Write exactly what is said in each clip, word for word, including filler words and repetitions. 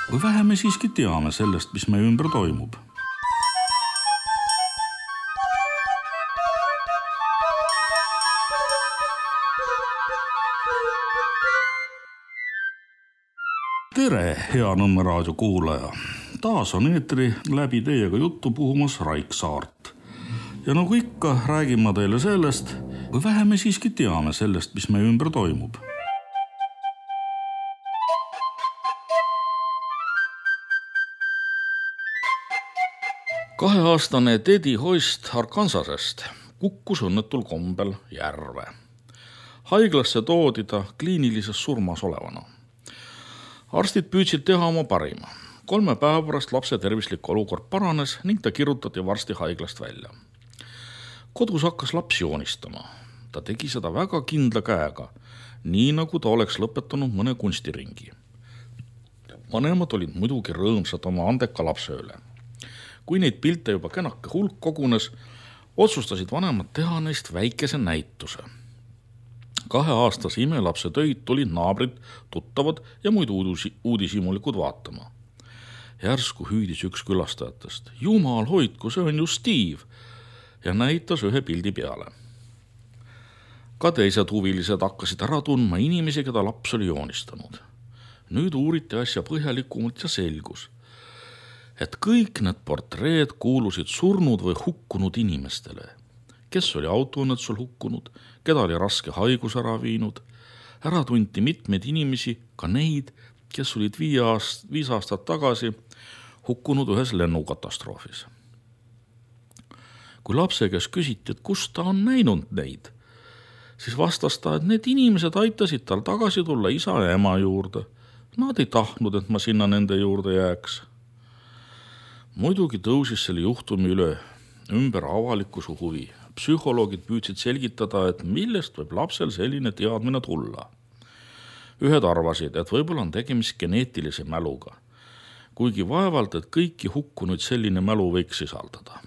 Või vähe me siiski teame sellest, mis meie ümber toimub. Tere, hea Nõmme raadio kuulaja! Taas on eetri läbi teiega juttu puhumas Raik Saart. Ja nagu ikka, räägin ma teile sellest, või vähe me siiski teame sellest, mis meie ümber toimub. Kaheaastane Teddy Hoist Arkansasest kukkus õnnetul kombel järve. Haiglasse toodi ta kliinilises surmas olevana. Arstid püüdsid teha oma parima. Kolme päeva pärast lapse tervislik olukord paranes ning ta kirutati varsti haiglast välja. Kodus hakkas laps joonistama. Ta tegi seda väga kindla käega, nii nagu ta oleks lõpetanud mõne kunstiringi. Vanemad olid muidugi rõõmsad oma andeka lapse üle. Kui neid pilte juba kenake hulk kogunes, otsustasid vanemad teha neist väikese näituse. Kaheaastase imelapse töid tulid naabrid, tuttavad ja muid uudishimulikud vaatama. Järsku hüüdis üks külastajatest. Jumal hoidku, see on ju Steve! Ja näitas ühe pildi peale. Ka teised huvilised hakkasid ära tundma inimesi, keda laps oli joonistanud. Nüüd uuriti asja põhjalikumalt ja selgus, et kõik need portreed kuulusid surnud või hukkunud inimestele. Kes oli autoõnnetusel hukkunud, keda oli raske haigus ära viinud. Ära tunti mitmeid inimesi, ka neid, kes olid viis aastat, viis aastat tagasi hukkunud ühes lennukatastroofis. Kui lapse käest küsiti, et kus ta on näinud neid, siis vastas ta, et need inimesed aitasid tal tagasi tulla isa ja ema juurde. Nad ei tahtnud, et ma sinna nende juurde jääks. Muidugi tõusis selle juhtumi üle ümber avalikkuse huvi. Psühholoogid püüdsid selgitada, et millest võib lapsel selline teadmine tulla. Ühed arvasid, et võib-olla on tegemist geneetilise mäluga, kuigi vaevalt, et kõiki hukkunud selline mälu võiks sisaldada.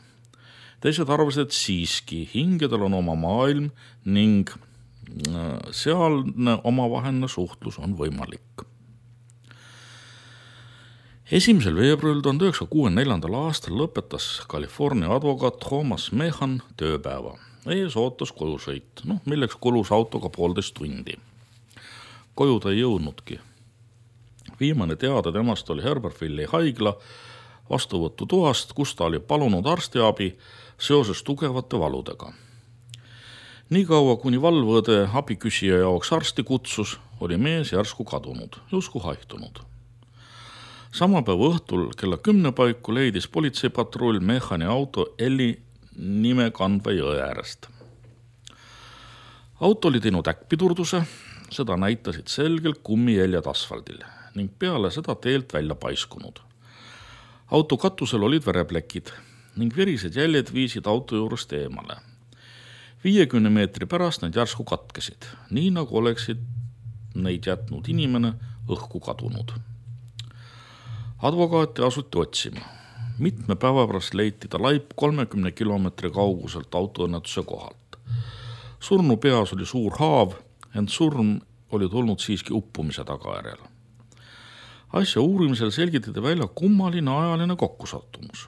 Teised arvasid, et siiski hingedel on oma maailm ning sealne omavaheline suhtlus on võimalik. Esimesel veebruaril tuhande üheksasaja kuuekümne neljandal aastal lõpetas California advokaat Thomas Mehan tööpäeva. Ees ootas kojusõit, no, milleks kulus autoga poolteist tundi. Koju ta ei jõudnudki. Viimane teada temast oli Herbertville'i haigla vastuvõttu toast, kus ta oli palunud arstiabi seoses tugevate valudega. Nii kaua, kuni valvõde abiküsija jaoks arsti kutsus, oli mees järsku kadunud, jusku haihtunud. Sama päeva õhtul kella kümne paiku leidis politseipatrull Mehani auto Elli nime kandva jõe äärest. Auto oli teinud äkkpidurduse, seda näitasid selgelt kummijäljed asfaldil ning peale seda teelt välja paiskunud. Auto katusel olid vereplekid ning verised jäljed viisid auto juurest eemale. viiekümne meetri pärast need järsku katkesid, nii nagu oleksid neid jätnud inimene õhku kadunud. Advokaati asuti otsima. Mitme päeva pärast leiti ta laip kolmekümne kilomeetri kauguselt autoõnnetuse kohalt. Surnu peas oli suur haav, ent surm oli tulnud siiski uppumise tagajärjel. Asja uurimisel selgitati välja kummaline ajaline kokkusattumus.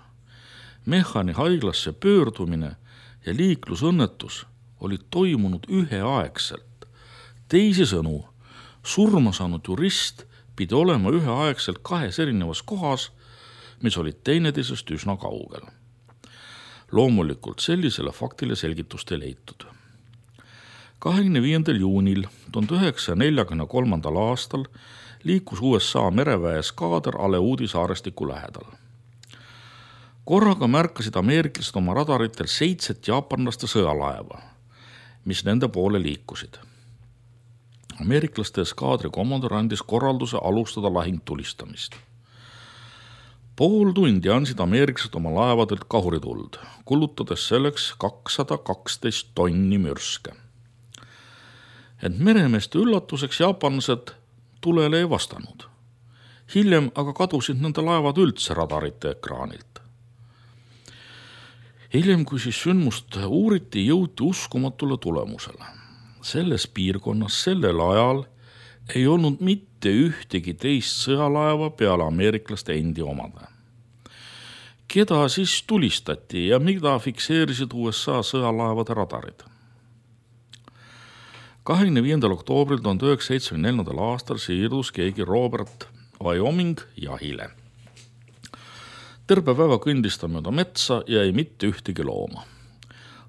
Mehani haiglasse pöördumine ja liiklusõnnetus olid toimunud üheaegselt. Teisisõnu, surma saanud jurist pidi olema üheaegselt kahes erinevas kohas, mis olid teineteisest üsna kaugel. Loomulikult sellisele faktile selgitust ei leitud. kahekümne viiendal juunil tuhande üheksasaja neljakümne kolmandal aastal liikus U S A mereväe skaader Aleudi saarestiku lähedal. Korraga märkasid ameeriklased oma radaritel seitset jaapanlaste sõjalaeva, mis nende poole liikusid. Ameeriklaste skaadri komandör andis korralduse alustada lahingtulistamist. Pool tundi andsid ameeriklased oma laevadelt kahurituld, kulutades selleks kakssada kaksteist tonni mürske. Ent meremeeste üllatuseks jaapanlased tulele ei vastanud. Hiljem aga kadusid nende laevad üldse radarite ekraanilt. Hiljem, kui siis sündmust uuriti, jõuti uskumatule tulemusele. Selles piirkonnas sellel ajal ei olnud mitte ühtegi teist sõjalaeva peale ameeriklaste endi omade. Keda siis tulistati ja mida fikseerisid U S A sõjalaevade radarid? kahekümne viiendal oktoobril tuhande üheksasaja seitsmekümne neljandal aastal siirdus keegi Robert Wyoming jahile. Terve päeva kõndis ta mööda metsa ja ei mitte ühtegi looma.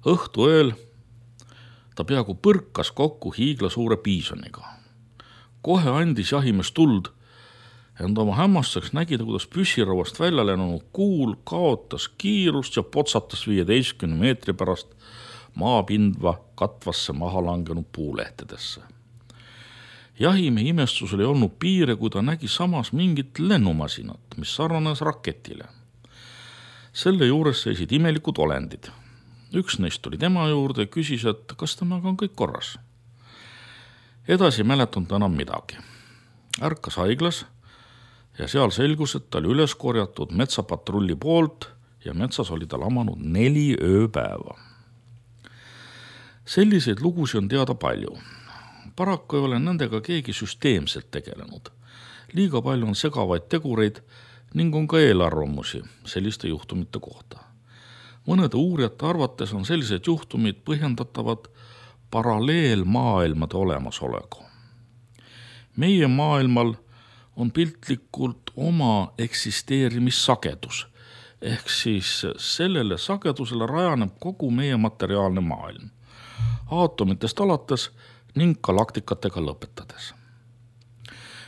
Õhtu ööl ta peaaegu põrkas kokku hiigla suure piisoniga. Kohe andis jahimees tuld, ent oma hämmastuseks nägi ta, kuidas püssirauast välja lennunud kuul kaotas kiirust ja potsatas viieteistkümne meetri pärast maapindva katvasse maha langenud puulehtedesse. Jahimehe imestusel ei olnud piire, kui ta nägi samas mingit lennumasinat, mis sarnanes raketile. Selle juures seisid imelikud olendid. Üks neist tuli tema juurde ja küsis, et kas temaga on kõik korras. Edasi mäletanud ta enam midagi. Ärkas haiglas ja seal selgus, et ta oli üles korjatud metsapatrulli poolt ja metsas oli ta lamanud neli ööpäeva. Selliseid lugusid on teada palju. Paraku ei ole nendega keegi süsteemselt tegelenud. Liiga palju on segavaid tegureid ning on ka eelarvamusi selliste juhtumite kohta. Mõnede uurijate arvates on sellised juhtumid põhjendatavad paralleelmaailmade olemasolegu. Meie maailmal on piltlikult oma eksisteerimissagedus, ehk siis sellele sagedusele rajaneb kogu meie materiaalne maailm, aatomitest alates ning galaktikatega lõpetades.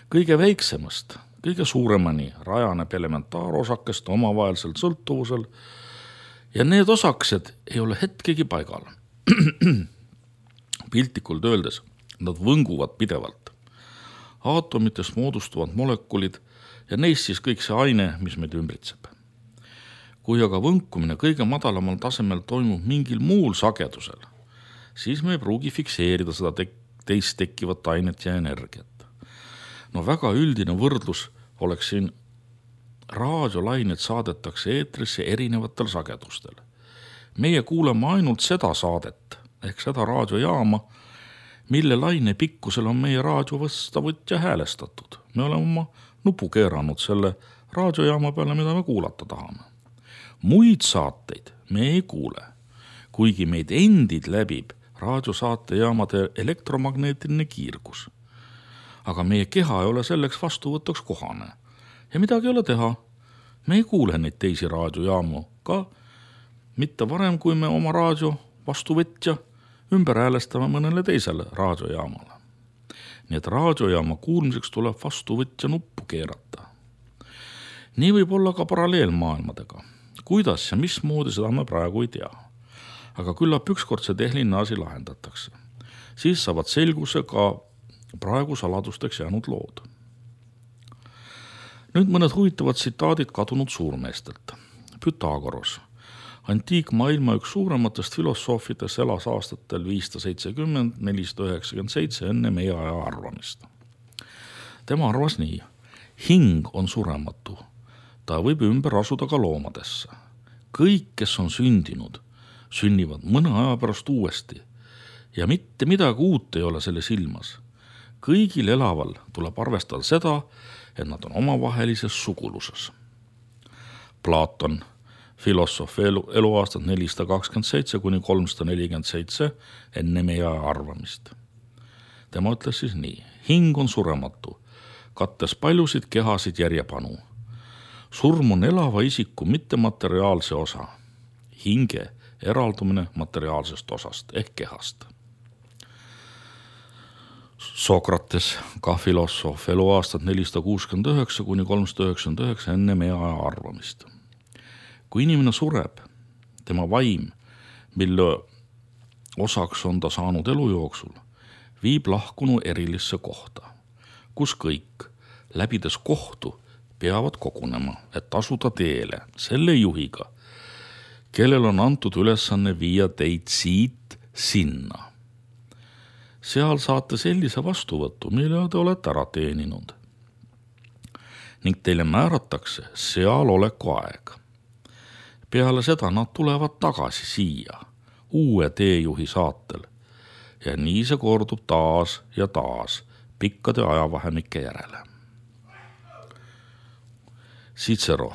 Kõige väiksemast, kõige suuremani rajaneb elementaarosakeste omavahelisel sõltuvusel ja need osakesed ei ole hetkegi paigal. Piltlikult öeldes, nad võnguvad pidevalt. Aatomitest moodustuvad molekulid ja neist siis kõik see aine, mis meid ümbritseb. Kui aga võnkumine kõige madalamal tasemel toimub mingil muul sagedusel, siis me ei pruugi fikseerida seda te- teist tekkivat ainet ja energiat. No väga üldine võrdlus oleks siin raadiolainet saadetakse eetrisse erinevatel sagedustel. Meie kuuleme ainult seda saadet, ehk seda raadiojaama, mille laine pikkusel on meie raadiovastavõtja häälestatud. Me oleme oma nupu keeranud selle raadiojaama peale, mida me kuulata tahame. Muid saateid me ei kuule, kuigi meid endid läbib raadiosaatejaamade elektromagneetiline kiirgus. Aga meie keha ei ole selleks vastuvõtuks kohane. Ja midagi ei ole teha. Me ei kuule neid teisi raadiojaamu ka mitte varem, kui me oma raadio vastuvõtja ümber häälestame mõnele teisele raadiojaamale. Nii et raadiojaama kuulmiseks tuleb vastuvõtja nuppu keerata. Nii võib olla ka paralleelmaailmadega. Kuidas ja mismoodi, seda me praegu ei tea. Aga küllap ükskord see tehniline asi lahendatakse. Siis saavad selguse ka praegu saladusteks jäänud lood. Nüüd mõned huvitavad tsitaadid kadunud suurmeestelt. Pythagoras, antiikmaailma üks suurematest filosoofidest, elas aastatel viissada seitsekümmend kuni nelisada üheksakümmend seitse enne meie aja arvamist. Tema arvas nii: hing on surematu. Ta võib ümber asuda ka loomadesse. Kõik, kes on sündinud, sünnivad mõne aja pärast uuesti ja mitte midagi uut ei ole selles ilmas. Kõigil elaval tuleb arvestada seda, et nad on omavahelises suguluses. Platon, filosoof, elu, eluaastad nelisada kakskümmend seitse kuni kolmsada nelikümmend seitse enne meie arvamist. Tema ütles siis nii: hing on surematu, kattes paljusid kehasid järjepanu. Surm on elava isiku mittemateriaalse osa, hinge eraldumine materiaalsest osast ehk kehast. Sokrates, ka filosoof, eluaastad nelisada kuuskümmend üheksa kuni kolmsada üheksakümmend üheksa enne meie aja arvamist. Kui inimene sureb, tema vaim, mille osaks on ta saanud elu jooksul, viib lahkunu erilisse kohta, kus kõik, läbides kohtu, peavad kogunema, et asuda teele selle juhiga, kellel on antud ülesanne viia teid siit sinna. Seal saate sellise vastuvõttu, mille te olete ära teeninud. Ning teile määratakse seal oleku aeg. Peale seda nad tulevad tagasi siia, uue teejuhi saatel. Ja nii see kordub taas ja taas, pikkade ajavahemike järele. Cicero,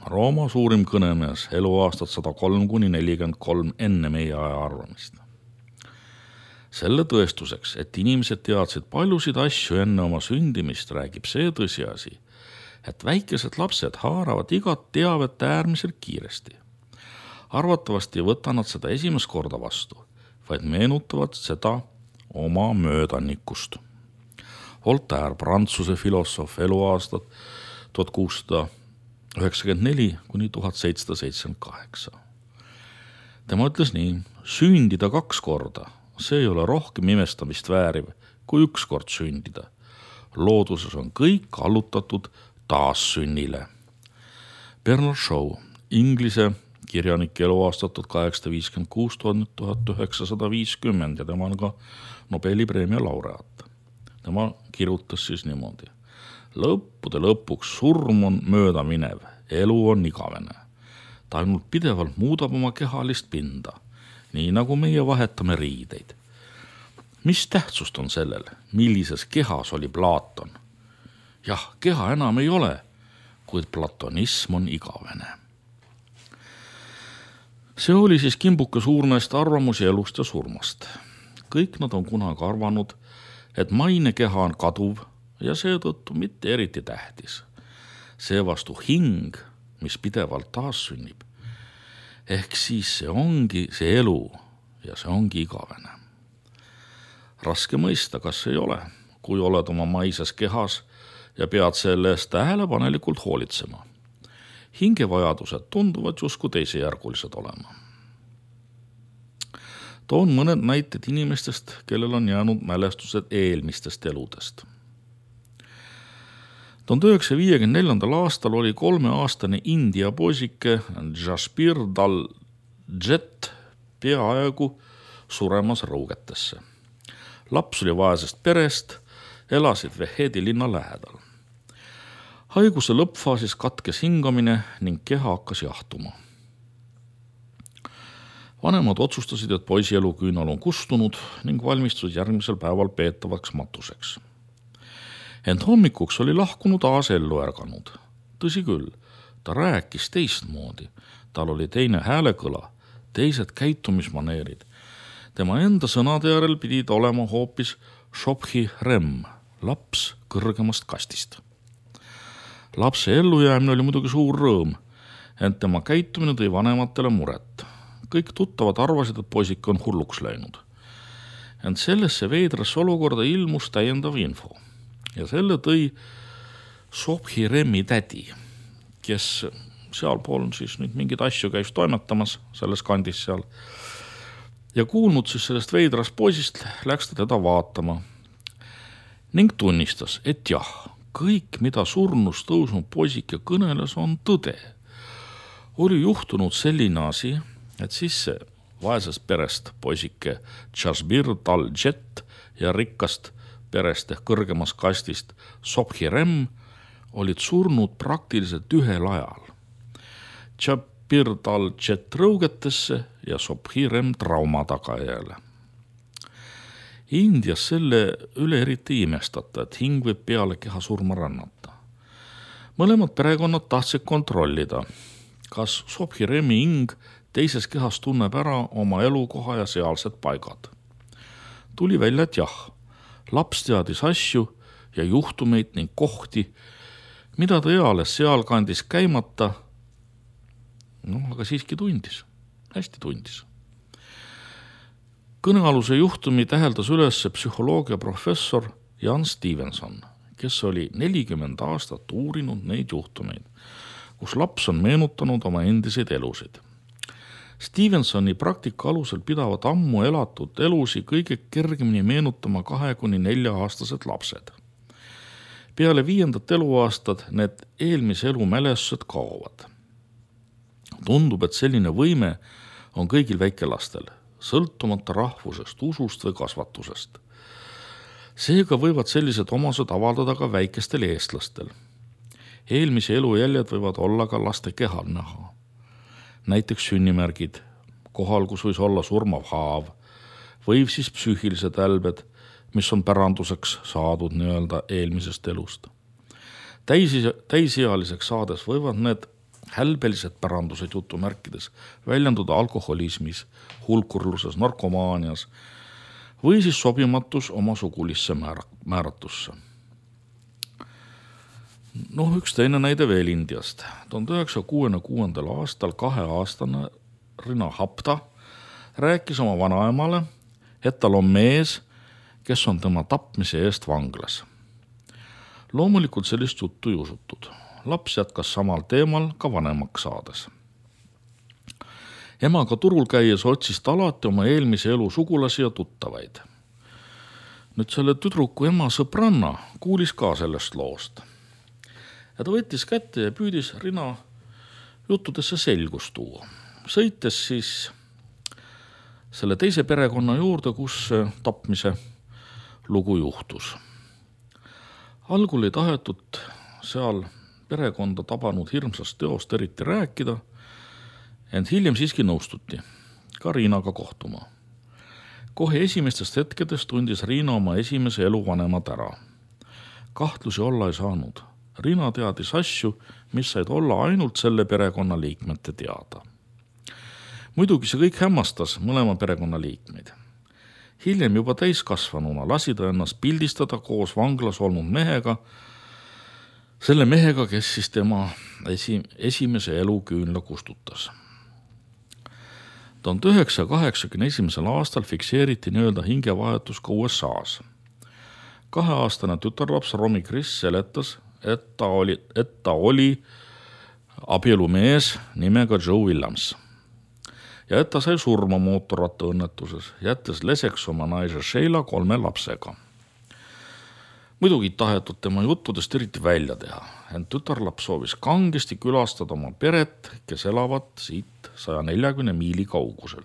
Rooma suurim kõnemees, eluaastad sada kolm kuni nelikümmend kolm enne meie aja arvamist. Selle tõestuseks, et inimesed teadsid paljusid asju enne oma sündimist, räägib see tõsiasi, et väikesed lapsed haaravad igat teavet äärmiselt kiiresti. Arvatavasti ei võta nad seda esimest korda vastu, vaid meenutavad seda oma möödanikust. Voltaire, Prantsuse filosoof, eluaastad tuhat kuussada üheksakümmend neli kuni tuhat seitsesada seitsekümmend kaheksa. Tema ütles nii: sündida kaks korda, see ei ole rohkem imestamist vääriv kui üks kord sündida. Looduses on kõik allutatud taassünnile. Bernard Shaw, Inglise kirjanik, eluaastat tuhat kaheksasada viiskümmend kuus kuni tuhat üheksasada viiskümmend ja tema on ka Nobeli preemia laureaat. Tema kirjutas siis niimoodi: lõppude lõpuks surm on mööda minev, elu on igavene. Ta ainult pidevalt muudab oma kehalist pinda, nii nagu meie vahetame riideid. Mis tähtsust on sellel, millises kehas oli Platon? Jah, keha enam ei ole, kuid platonism on igavene. See oli siis kimbuke suurmeeste arvamusi elust ja surmast. Kõik nad on kunagi arvanud, et maine keha on kaduv ja seetõttu mitte eriti tähtis. Seevastu hing, mis pidevalt taas sünnib, ehk siis see ongi see elu ja see ongi igavene. Raske mõista, kas ei ole, kui oled oma maises kehas ja pead selle eest tähelepanelikult hoolitsema. Hingevajadused tunduvad justkui teisejärgulised olema. Toon mõned näited inimestest, kellel on jäänud mälestused eelmistest eludest. tuhande üheksasaja viiekümne neljandal aastal oli kolmeaastane India poisike Jaspir Dal Jet peaaegu suremas rõugetesse. Laps oli vaesest perest, elasid Vehedi linna lähedal. Haiguse lõppfaasis katkes hingamine ning keha hakkas jahtuma. Vanemad otsustasid, et poisi eluküünal on kustunud ning valmistusid järgmisel päeval peetavaks matuseks. Ent hommikuks oli lahkunud taas ellu ärganud. Tõsi küll, ta rääkis teistmoodi. Tal oli teine häälekõla, teised käitumismaneerid. Tema enda sõnade järel pidid olema hoopis Shophi Rem, laps kõrgemast kastist. Lapse ellujäämine oli muidugi suur rõõm, ent tema käitumine tõi vanematele muret. Kõik tuttavad arvasid, et poisik on hulluks läinud. Ent sellesse veidrasse olukorda ilmus täiendav info. Ja selle tõi Shophi Remi tädi, kes sealpool siis nüüd mingid asju käis toimetamas selles kandis seal. Ja kuulnud siis sellest veidrast poisist, läks ta teda vaatama ning tunnistas, et jah, kõik, mida surnust tõusnud poisike kõneles, on tõde. Oli juhtunud selline asi, et siis see vaesest perest poisike Jaspir Dal Jet ja rikkast perest ehk kõrgemast kastist Shophi Rem olid surnud praktiliselt ühel ajal. Jaspir Dal Jet rõugetesse ja Shophi Rem trauma tagajäle. Indias selle üle eriti imestata, et hing võib peale keha surma rännata. Mõlemad perekonnad tahtsid kontrollida, kas Shophi Remi hing teises kehas tunneb ära oma elukoha ja sealsed paigad. Tuli välja, et jah, laps teadis asju ja juhtumeid ning kohti, mida ta eales sealkandis käimata, no aga siiski tundis, hästi tundis. Kõnealuse juhtumi täheldas üles psühholoogia professor Jan Stevenson, kes oli nelikümmend aastat uurinud neid juhtumeid, kus laps on meenutanud oma endiseid elusid. Stevensoni praktika alusel pidavat ammu elatud elusi kõige kergemini meenutama kahe kuni nelja aastased lapsed. Peale viiendat eluaastad need eelmise elu mälestused kaovad. Tundub, et selline võime on kõigil väikelastel, sõltumata rahvusest, usust või kasvatusest. Seega võivad sellised omased avaldada ka väikestel eestlastel. Eelmise elu jäljed võivad olla ka laste kehal näha. Näiteks sünnimärgid, kohal, kus võis olla surmav haav, või siis psüühilised älbed, mis on päranduseks saadud nii-öelda eelmisest elust. Täisi, täisealiseks saades võivad need hälbelised pärandused jutumärkides väljenduda alkoholismis, hulkurluses, narkomaanias või siis sobimatus oma sugulisse määra- määratusse. Noh, üks teine näide veel Indiast. tuhande üheksasaja kuuekümne kuuendal aastal kaheaastane Rina Hapta rääkis oma vanaemale, et tal on mees, kes on tema tapmise eest vanglas. Loomulikult sellist juttu ei usutud. Laps jätkas samal teemal ka vanemaks saades. Emaga turul käies otsis ta alati oma eelmise elu sugulasi ja tuttavaid. Nüüd selle tüdruku ema sõbranna kuulis ka sellest loost. Ja ta võttis kätte ja püüdis Rina juttudesse selgust tuua. Sõites siis selle teise perekonna juurde, kus tapmise lugu juhtus. Algul ei tahetud seal perekonda tabanud hirmsast teost eriti rääkida, ent hiljem siiski nõustuti ka Riinaga kohtuma. Kohe esimestest hetkedest tundis Riina oma esimese eluvanemad ära. Kahtlusi olla ei saanud. Riina teadis asju, mis said olla ainult selle perekonna liikmete teada. Muidugi see kõik hämmastas mõlema perekonna liikmeid. Hiljem juba täiskasvanuna lasi ta ennast pildistada koos vanglas olnud mehega, selle mehega, kes siis tema esi, esimese eluküünla kustutas. tuhande üheksasaja kaheksakümne esimesel aastal fikseeriti nii-öelda hingevahetus ka U S A-s. Kaheaastane tütarlaps Romy Chris seletas, et ta oli, et ta oli abielumees nimega Joe Williams ja et ta sai surma mootorrattaõnnetuses, jättes leseks oma naise Sheila kolme lapsega. Muidugi tahetud tema juttudest eriti välja teha, ent tütarlaps soovis kangesti külastada oma peret, kes elavad siit saja neljakümne miili kaugusel.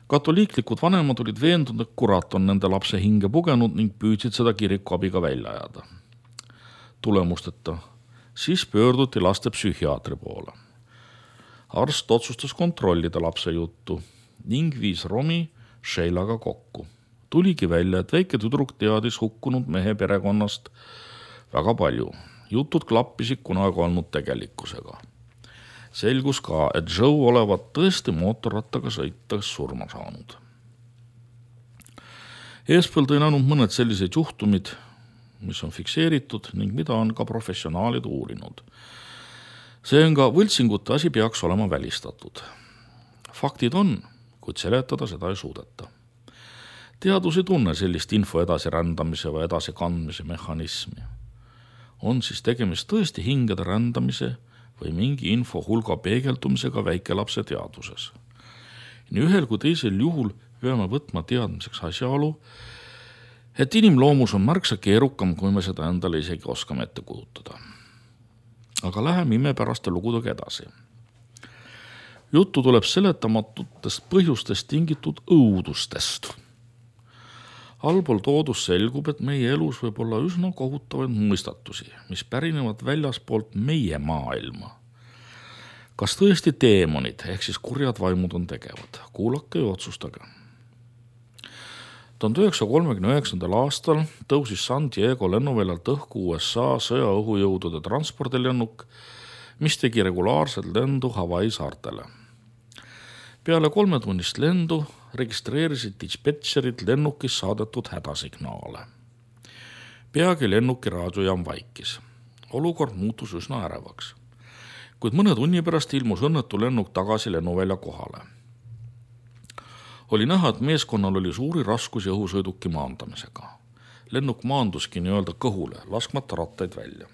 Katoliiklikud vanemad olid veendunud, et kurat on nende lapse hinge pugenud ning püüdsid seda kiriku abiga välja ajada. Tulemusteta, siis pöörduti laste psühhiaatri poole. Arst otsustas kontrollida lapse juttu ning viis Romy Sheilaga kokku. Tuligi välja, et väike tüdruk teadis hukkunud mehe perekonnast väga palju. Jutud klappisid kunagi olnud tegelikkusega. Selgus ka, et Joe olevat tõesti mootorrattaga sõites surma saanud. Eespõl tõin ainult mõned sellised juhtumid, mis on fikseeritud ning mida on ka professionaalid uurinud. See on ka võltsingute asi peaks olema välistatud. Faktid on, kuid seletada seda ei suudeta. Teadus ei tunne sellist info edasirändamise või edasikandmise mehhanismi. On siis tegemist tõesti hingede rändamise või mingi info hulga peegeldumisega väikelapse teaduses. Nii ühel kui teisel juhul peame võtma teadmiseks asjaolu, et inimloomus on märksa keerukam, kui me seda endale isegi oskame ette kujutada. Aga läheme imepäraste lugudega edasi. Juttu tuleb seletamatutest põhjustest tingitud õudustest. Allpool toodus selgub, et meie elus võib olla üsna kohutavaid mõistatusi, mis pärinevad väljaspoolt meie maailma. Kas tõesti teemonid ehk siis kurjad vaimud on tegevad? Kuulake ja otsustage. tuhande üheksasaja kolmekümne üheksandal aastal tõusis San Diego lennuväljalt õhku U S A sõjaõhujõudude transpordilennuk, mis tegi regulaarselt lendu Hawaii saartele. Peale kolmetunnist lendu registreerisid dispetšerid lennukis saadetud hädasignaale. Peagi lennuki raadiojaam vaikis. Olukord muutus üsna ärevaks. Kuid mõne tunni pärast ilmus õnnetu lennuk tagasi lennuvälja kohale. Oli näha, et meeskonnal oli suuri raskusi õhusõiduki maandamisega. Lennuk maanduski nii-öelda kõhule, laskmata rattaid välja.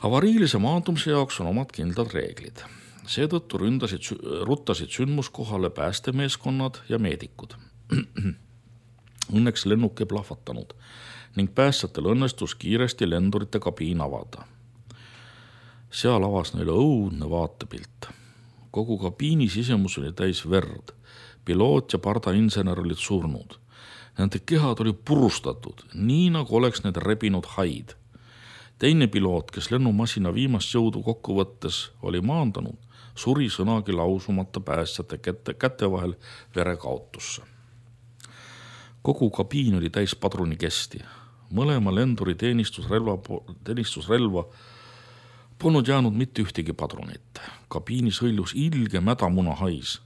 Avariilise maandumise jaoks on omad kindlad reeglid. Seetõttu ründasid, ruttasid sündmuskohale päästemeeskonnad ja meedikud. Õnneks lennuk ei plahvatanud ning päästjatel õnnestus kiiresti lendurite kabiin avada. Seal avas neile õudne vaatepilt. Kogu kabiini sisemus oli täis verd. Piloot ja pardainsener olid surnud. Nende kehad oli purustatud, nii nagu oleks need rebinud haid. Teine piloot, kes lennumasina viimast jõudu kokku võttes oli maandanud, suri sõnagi lausumata päästjate käte, käte vahel verekaotusse. kogu kabiin oli täis padrunikesti. Mõlema lenduri teenistusrelva, teenistusrelva polnud jäänud mitte ühtegi padrunit. Kabiinis hõljus ilge mädamuna hais.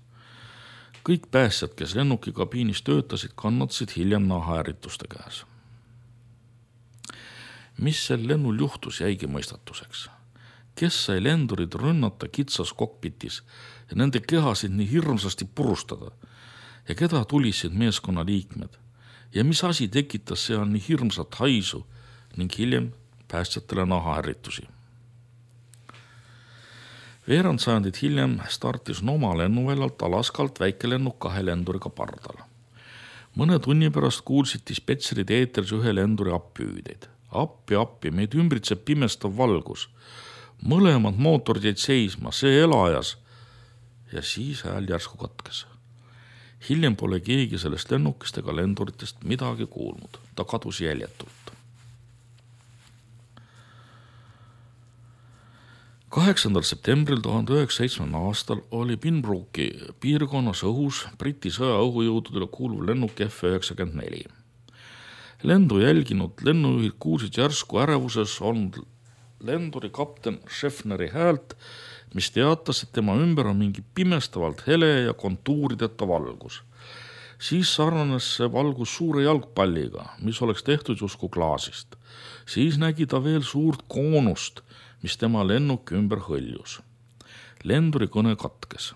Kõik päästjad, kes lennuki kabiinis töötasid, kannatasid hiljem nahahäärituste käes. Mis sel lennul juhtus, jäigi mõistatuseks. Kes sai lendurid rünnata kitsas kokpitis ja nende kehasid nii hirmsasti purustada ja keda tulisid meeskonna liikmed ja mis asi tekitas seal nii hirmsat haisu ning hiljem päästjatele nahahärritusi. Veerand sajandit hiljem startis Noma lennuväljalt Alaskalt väikelennuk kahe lenduriga pardal. Mõne tunni pärast kuulsid dispetserid eetris ühe lenduri appihüüdeid. Appi, appi, meid ümbritseb pimestav valgus. Mõlemad mootorid jäid seisma, see elajas ja siis hääl järsku katkes. Hiljem pole keegi sellest lennukist ega lenduritest midagi kuulnud. Ta kadus jäljetult. kaheksandal septembril tuhande üheksasaja seitsmekümnendal aastal oli Pinbrooki piirkonnas õhus Briti sõjaõhujõududele kuuluv lennuk F üheksakümmend neli. Lendu jälginud lennujuhid kuulsid järsku ärevuses olnud lenduri kapten Scheffneri häält, mis teatas, et tema ümber on mingi pimestavalt hele ja kontuurideta valgus. Siis sarnanes see valgus suure jalgpalliga, mis oleks tehtud justkui klaasist. Siis nägi ta veel suurt koonust, mis tema lennuki ümber hõljus. Lenduri kõne katkes.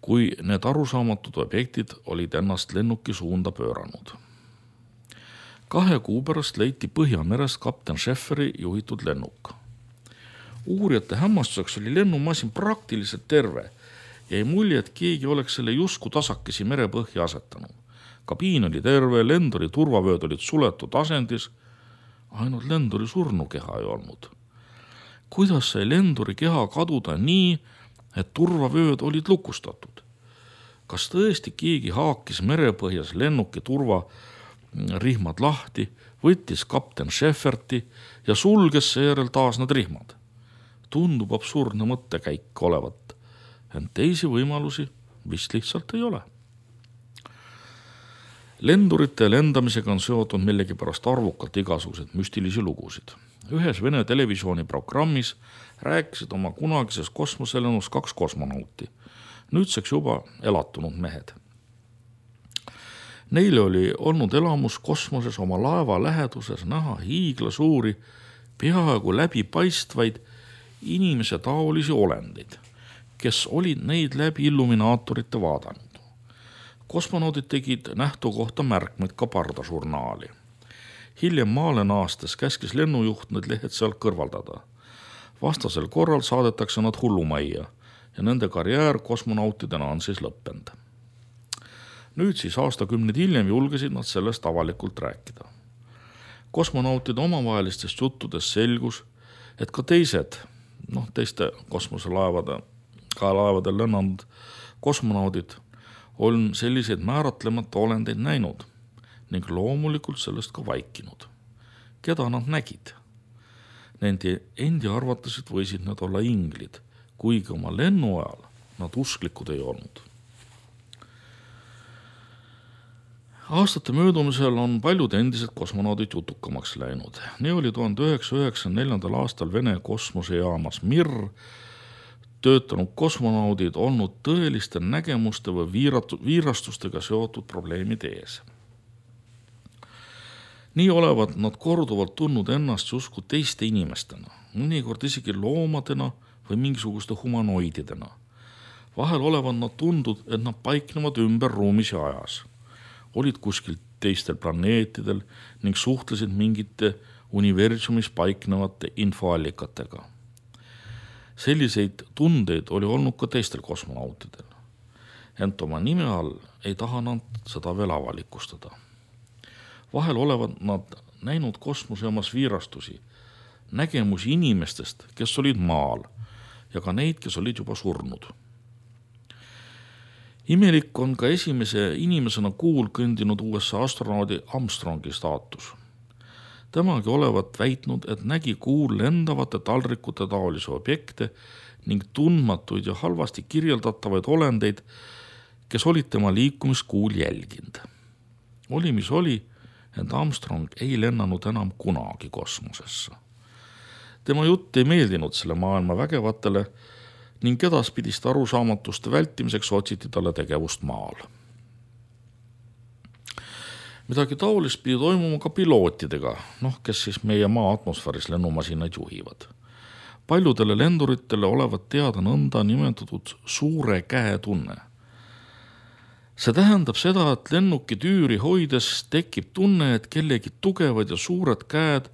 Kui need arusaamatud objektid olid ennast lennuki suunda pööranud. Kahe kuu pärast leiti Põhjamerest kapten Schefferi juhitud lennuk. Uurijate hämmastuseks oli lennumasin praktiliselt terve ja ei mulje, et keegi oleks selle jusku tasakesi merepõhja asetanud. Kabiin oli terve, lenduri turvavööd olid suletud asendis, ainult lenduri surnukeha ei olnud. Kuidas sai lenduri keha kaduda nii, et turvavööd olid lukustatud? Kas tõesti keegi haakis merepõhjas lennuki turvarihmad lahti, võttis kapten Schefferti ja sulges seejärel taas need rihmad? Tundub absurdne mõttekäik olevat, ent teisi võimalusi vist lihtsalt ei ole. Lendurite lendamisega on seotud millegipärast arvukalt igasugused müstilisi lugusid. Ühes Vene televisiooni programmis rääkisid oma kunagises kosmoselennus kaks kosmonauti, nüüdseks juba elatunud mehed. Neile oli olnud elamus kosmoses oma laeva läheduses näha hiigla suuri, peaaegu läbipaistvaid inimese taolisi olendeid, kes olid neid läbi illuminaatorite vaadanud. Kosmonaudid tegid nähtu kohta märkmeid ka pardažurnaali. Hiljem maale naastes käskis lennujuht need lehed sealt kõrvaldada. Vastasel korral saadetakse nad hullumajja ja nende karjäär kosmonautidena on siis lõppend. Nüüd siis aastakümned hiljem julgesid nad sellest avalikult rääkida. Kosmonautide omavahelistest juttudest selgus, et ka teised, noh teiste kosmoselaevade, ka laevadel lennanud kosmonaudid on selliseid määratlemata olendeid näinud ning loomulikult sellest ka vaikinud. Keda nad nägid? Nende endi arvatasid võisid nad olla inglid, kuigi oma lennu ajal nad usklikud ei olnud. Aastate möödumisel on paljud endised kosmonaudid jutukamaks läinud. Nii oli tuhande üheksasaja üheksakümne neljandal aastal Vene kosmosejaamas Mir töötanud kosmonaudid olnud tõeliste nägemuste või viirastustega seotud probleemide ees. Nii olevat nad korduvalt tundnud ennast justkui teiste inimestena, mõnikord isegi loomadena või mingisuguste humanoididena. Vahel olevat nad tundud, et nad paiknevad ümber ruumis ja ajas. Olid kuskil teistel planeetidel ning suhtlesid mingite universumis paiknevate infoallikatega. Selliseid tundeid oli olnud ka teistel kosmonautidel. Ent oma nime all ei taha nad seda veel avalikustada. Vahel olevat nad näinud kosmosejaamas viirastusi, nägemusi inimestest, kes olid maal ja ka neid, kes olid juba surnud. Imelik on ka esimese inimesena kuul kõndinud U S A astronaudi Armstrongi staatus. Temagi olevat väitnud, et nägi kuul lendavate taldrikute taolisi objekte ning tundmatuid ja halvasti kirjeldatavaid olendeid, kes olid tema liikumist kuul jälginud. oli, mis oli, ent Armstrong ei lennanud enam kunagi kosmosesse. Tema jutt ei meeldinud selle maailma vägevatele ning edaspidiste arusaamatuste vältimiseks otsiti talle tegevust maal. Midagi taolist pidi toimuma ka pilootidega, noh, kes siis meie maa atmosfääris lennumasinaid juhivad. Paljudele lenduritele olevat teada nõnda nimetatud suure käe tunne. See tähendab seda, et lennuki tüüri hoides tekib tunne, et kellegi tugevad ja suured käed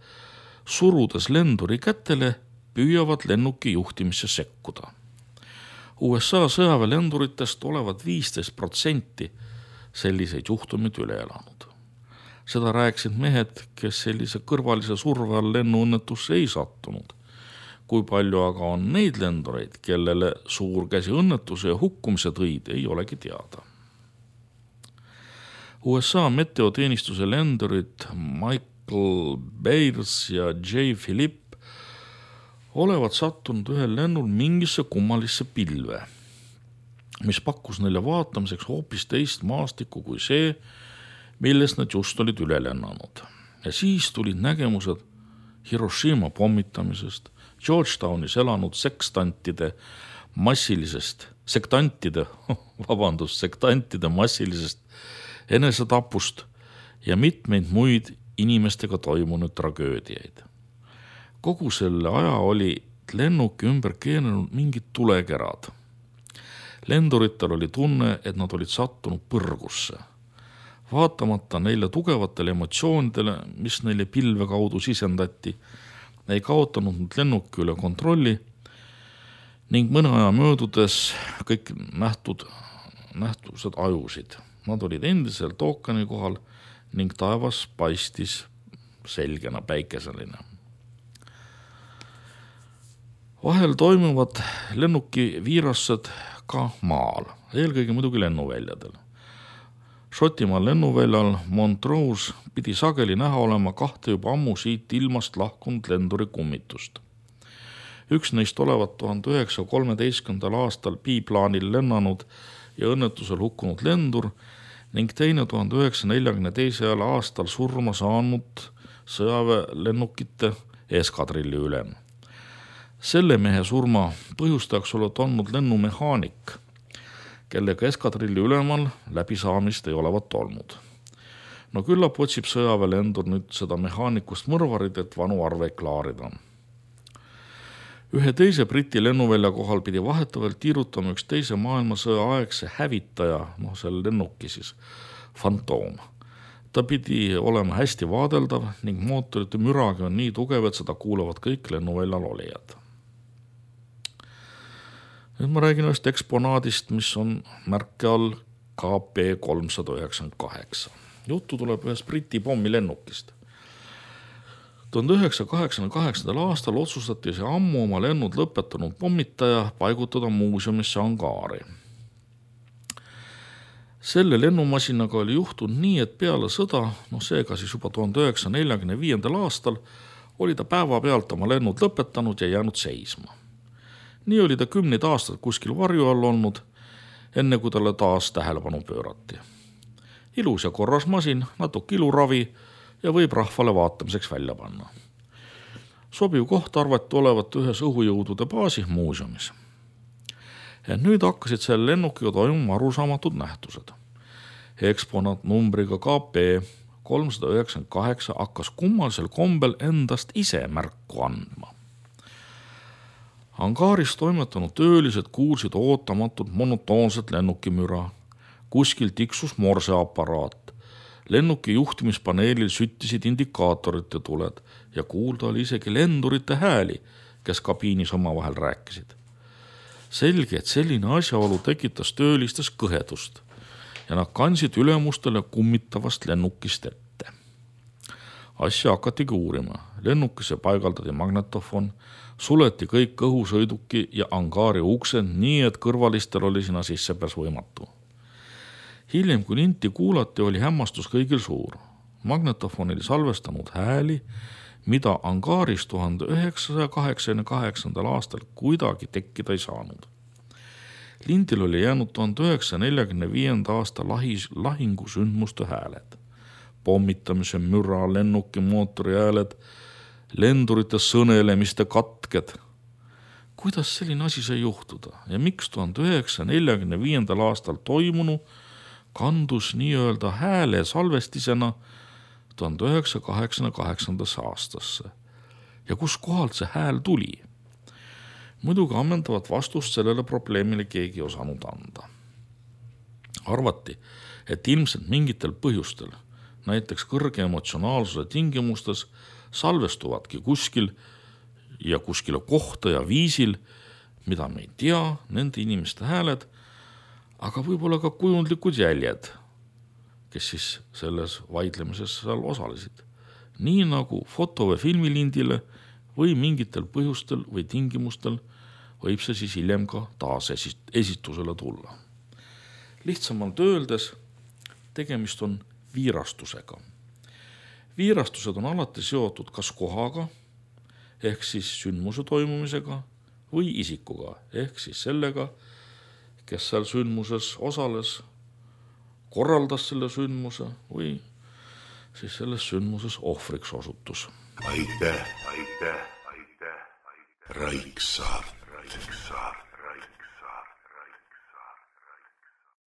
surudes lenduri kätele püüavad lennuki juhtimisse sekkuda. U S A sõjaväelenduritest olevat viisteist protsenti selliseid juhtumid üle elanud. Seda rääkisid mehed, kes sellise kõrvalise surve all lennuõnnetusse ei sattunud. Kui palju aga on neid lendureid, kellele suurkäsi õnnetuse ja hukkumise tõid, ei olegi teada. U S A meteoteenistuse lendurid Michael Bayers ja J. Philipp olevat sattunud ühel lennul mingisse kummalisse pilve, mis pakkus neile vaatamiseks hoopis teist maastikku kui see, millest nad just olid üle lennanud. Ja siis tulid nägemused Hiroshima pommitamisest, Georgetownis elanud sekstantide massilisest, sektantide, vabandust, sektantide massilisest enesetapust ja mitmeid muid inimestega toimunud tragöödiaid. Kogu selle aja oli lennuki ümber keeranud mingid tulekerad. Lenduritel oli tunne, et nad olid sattunud põrgusse. Vaatamata neile tugevatele emotsioonidele, mis neile pilve kaudu sisendati, ei kaotanud nad lennuki üle kontrolli ning mõne aja möödudes kõik nähtud, nähtused ajusid. Nad olid endiselt ookeani kohal ning taevas paistis selgena päikeseline. Vahel toimuvad lennuki viirassed ka maal, eelkõige muidugi lennuväljadel. Šotimaal lennuväljal Montrose pidi sageli näha olema kahte juba ammu siit ilmast lahkunud lenduri kummitust. Üks neist olevat tuhande üheksasaja kolmeteistkümnendal aastal biplaanil lennanud ja õnnetusel hukkunud lendur ning teine tuhande üheksasaja neljakümne teisel aastal surma saanud sõjaväelennukite eskadrilli ülem. Selle mehe surma põhjustajaks olevat olnud lennumehaanik, kellega eskadrilli ülemal läbisaamist ei olevat olnud. No küllap otsib sõjaväelendur nüüd seda mehaanikust mõrvarid, et vanu arveid klaarida. Ühe teise Briti lennuvälja kohal pidi vahetavalt tiirutama üks teise maailmasõja aegse hävitaja, noh selle lennuki siis, Fantoom. Ta pidi olema hästi vaadeldav ning mootorite müragi on nii tugev, et seda kuulavad kõik lennuväljal olijad. Nüüd ma räägin ühest eksponaadist, mis on märke all K P kolmsada üheksakümmend kaheksa. Juttu tuleb ühest Briti pommilennukist. tuhande üheksasaja kaheksakümne kaheksandal aastal otsustati see ammu oma lennud lõpetanud pommitaja paigutada muuseumisse Angaari. Selle lennumasinaga oli juhtunud nii, et peale sõda, noh seega siis juba tuhande üheksasaja neljakümne viiendal aastal, oli ta päeva pealt oma lennud lõpetanud ja jäänud seisma. Nii oli ta kümneid aastaid kuskil varju all olnud, enne kui talle taas tähelepanu pöörati. Ilus ja korras masin, natuke iluravi ja võib rahvale vaatamiseks välja panna. Sobiv koht arvati olevat ühes õhujõudude baasi muuseumis. Ja nüüd hakkasid selle lennukiga toimuma arusaamatud nähtused. Eksponaat numbriga K P kolmsada üheksakümmend kaheksa hakkas kummalisel kombel endast ise märku andma. Angaaris toimetanud töölised kuulsid ootamatult monotoonset lennukimüra. Kuskil tiksus morseaparaat. Lennuki juhtimispaneelil süttisid indikaatorite tuled ja kuulda oli isegi lendurite hääli, kes kabiinis omavahel rääkisid. Selge, et selline asjaolu tekitas töölistes kõhedust ja nad kandsid ülemustele kummitavast lennukist ette. Asja hakatigi uurima. Lennukisse paigaldati magnetofon, suleti kõik õhusõiduki ja Angaari uksed nii, et kõrvalistel oli sinna sissepääs võimatu. Hiljem, kui linti kuulati, oli hämmastus kõigil suur. Magnetofon oli salvestanud hääli, mida Angaaris tuhande üheksasaja kaheksakümne kaheksandal aastal kuidagi tekkida ei saanud. Lindil oli jäänud tuhande üheksasaja neljakümne viienda aasta lahis, lahingusündmuste hääled. pommitamise müra, lennuki mootori hääled, lendurite sõnelemiste katked. Kuidas selline asi sai juhtuda ja miks tuhande üheksasaja neljakümne viiendal aastal toimunu kandus nii-öelda hääle salvestisena tuhande üheksasaja kaheksakümne kaheksandasse aastasse ja kus kohalt see hääl tuli? Muidugi ammendavat vastust sellele probleemile keegi ei osanud anda. Arvati, et ilmselt mingitel põhjustel, näiteks kõrge emotsionaalsuse tingimustes, salvestuvadki kuskil ja kuskile kohta ja viisil, mida me ei tea, nende inimeste hääled, aga võib-olla ka kujundlikud jäljed, kes siis selles vaidlemises seal osalesid. Nii nagu foto- või filmilindile või mingitel põhjustel või tingimustel võib see siis hiljem ka taas esitusele tulla. Lihtsamalt öeldes, tegemist on viirastusega. Viirastused on alati seotud kas kohaga, ehk siis sündmuse toimumisega, või isikuga, ehk siis sellega, kes seal sündmuses osales, korraldas selle sündmuse või siis selles sündmuses ohvriks osutus. Aitäh, aitäh, aitäh, aitäh. Raiksaart, Raiksaart.